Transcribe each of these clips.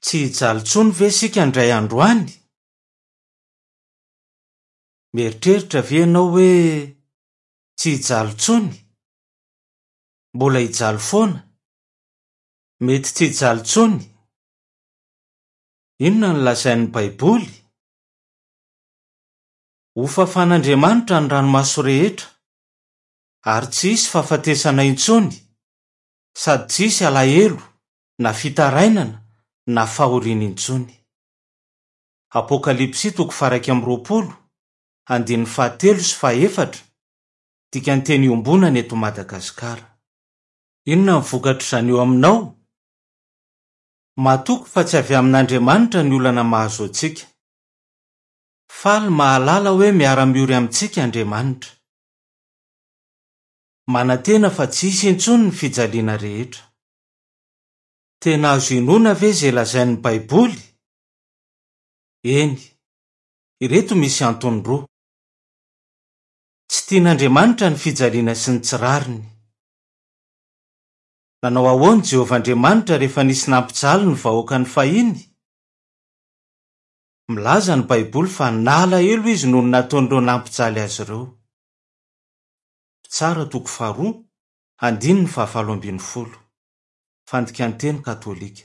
Tsy hijaly intsony ve isika indray andro any? Mieritreritra ve ianao hoe tsy hijaly intsony? Mbola hijaly foana? Mety tsy hijaly intsony? Inona no lazain'ny Baiboly? Hofafan'Andriamanitra ny ranomaso rehetra, ary tsy hisy fahafatesana intsony, sady tsy hisy alahelo na fitarainana na fahoriana intsony. Apokalypsy toko faha-21, andininy fahatelo sy fahefatra, Dikanteny iombonana eto Madagasikara. Inona ny vokatr'izany eo aminao? Matoky fa tsy avy amin'Andriamanitra ny olana mahazo antsika. Faly mahalala hoe miara-miory amintsika Andriamanitra. Manantena fa tsy hisy intsony ny fijaliana rehetra. Tena azo inoana ve izay lazain'ny Baiboly? Eny. Ireto misy antony roa. Tsy tian'Andriamanitra ny fijaliana sy ny tsy rariny. Nanao ahoana Jehovah Andriamanitra rehefa nisy nampijaly ny vahoakany fahiny? Milaza ny Baiboly fa nalahelo izy noho ny nataon'ireo nampijaly azy ireo. Mpitsara toko faharoa, andininy fahavalo ambin'ny folo. Fandikan-teny katolika.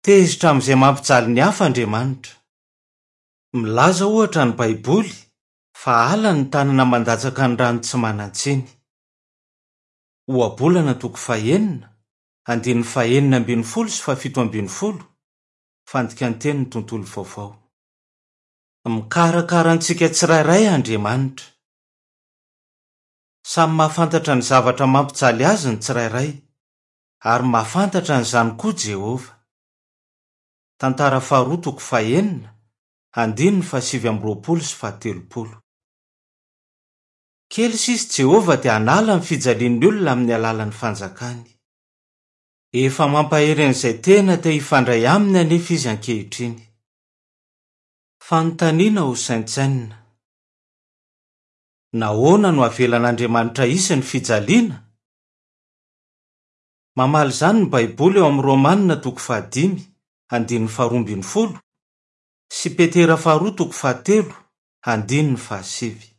Tezitra amin'izay mampijaly ny hafa Andriamanitra. Milaza, ohatra, ny Baiboly fa halany ny tanana mandatsaka ny rano tsy manan-tsiny. Ohabolana toko fahenina, andininy fahenina ambin'ny folo sy fahafito ambin'ny folo, Fandikan-tenin'ny Tontolo Vaovao. Mikarakara antsika tsirairay Andriamanitra. Samy mahafantatra ny zavatra mampijaly azy ny tsirairay, ary mahafantatra an'izany koa Jehovah. Tantara faharoa toko fahenina, andininy fahasivy amby roapolo sy fahatelopolo. Kely sisa Jehovah dia hanala ny fijalian'ny olona amin'ny alalan'ny Fanjakany. Efa mampahery an'izay tena te hifandray aminy anefa izy ankehitriny. Fanontaniana hosaintsainina. Nahoana no avelan'Andriamanitra hisy ny fijaliana? Mamaly izany ny Baiboly ao amin'ny Romana toko fahadimy, andininy faharoa ambin'ny folo, sy Petera faharoa toko fahatelo, andininy fahasivy.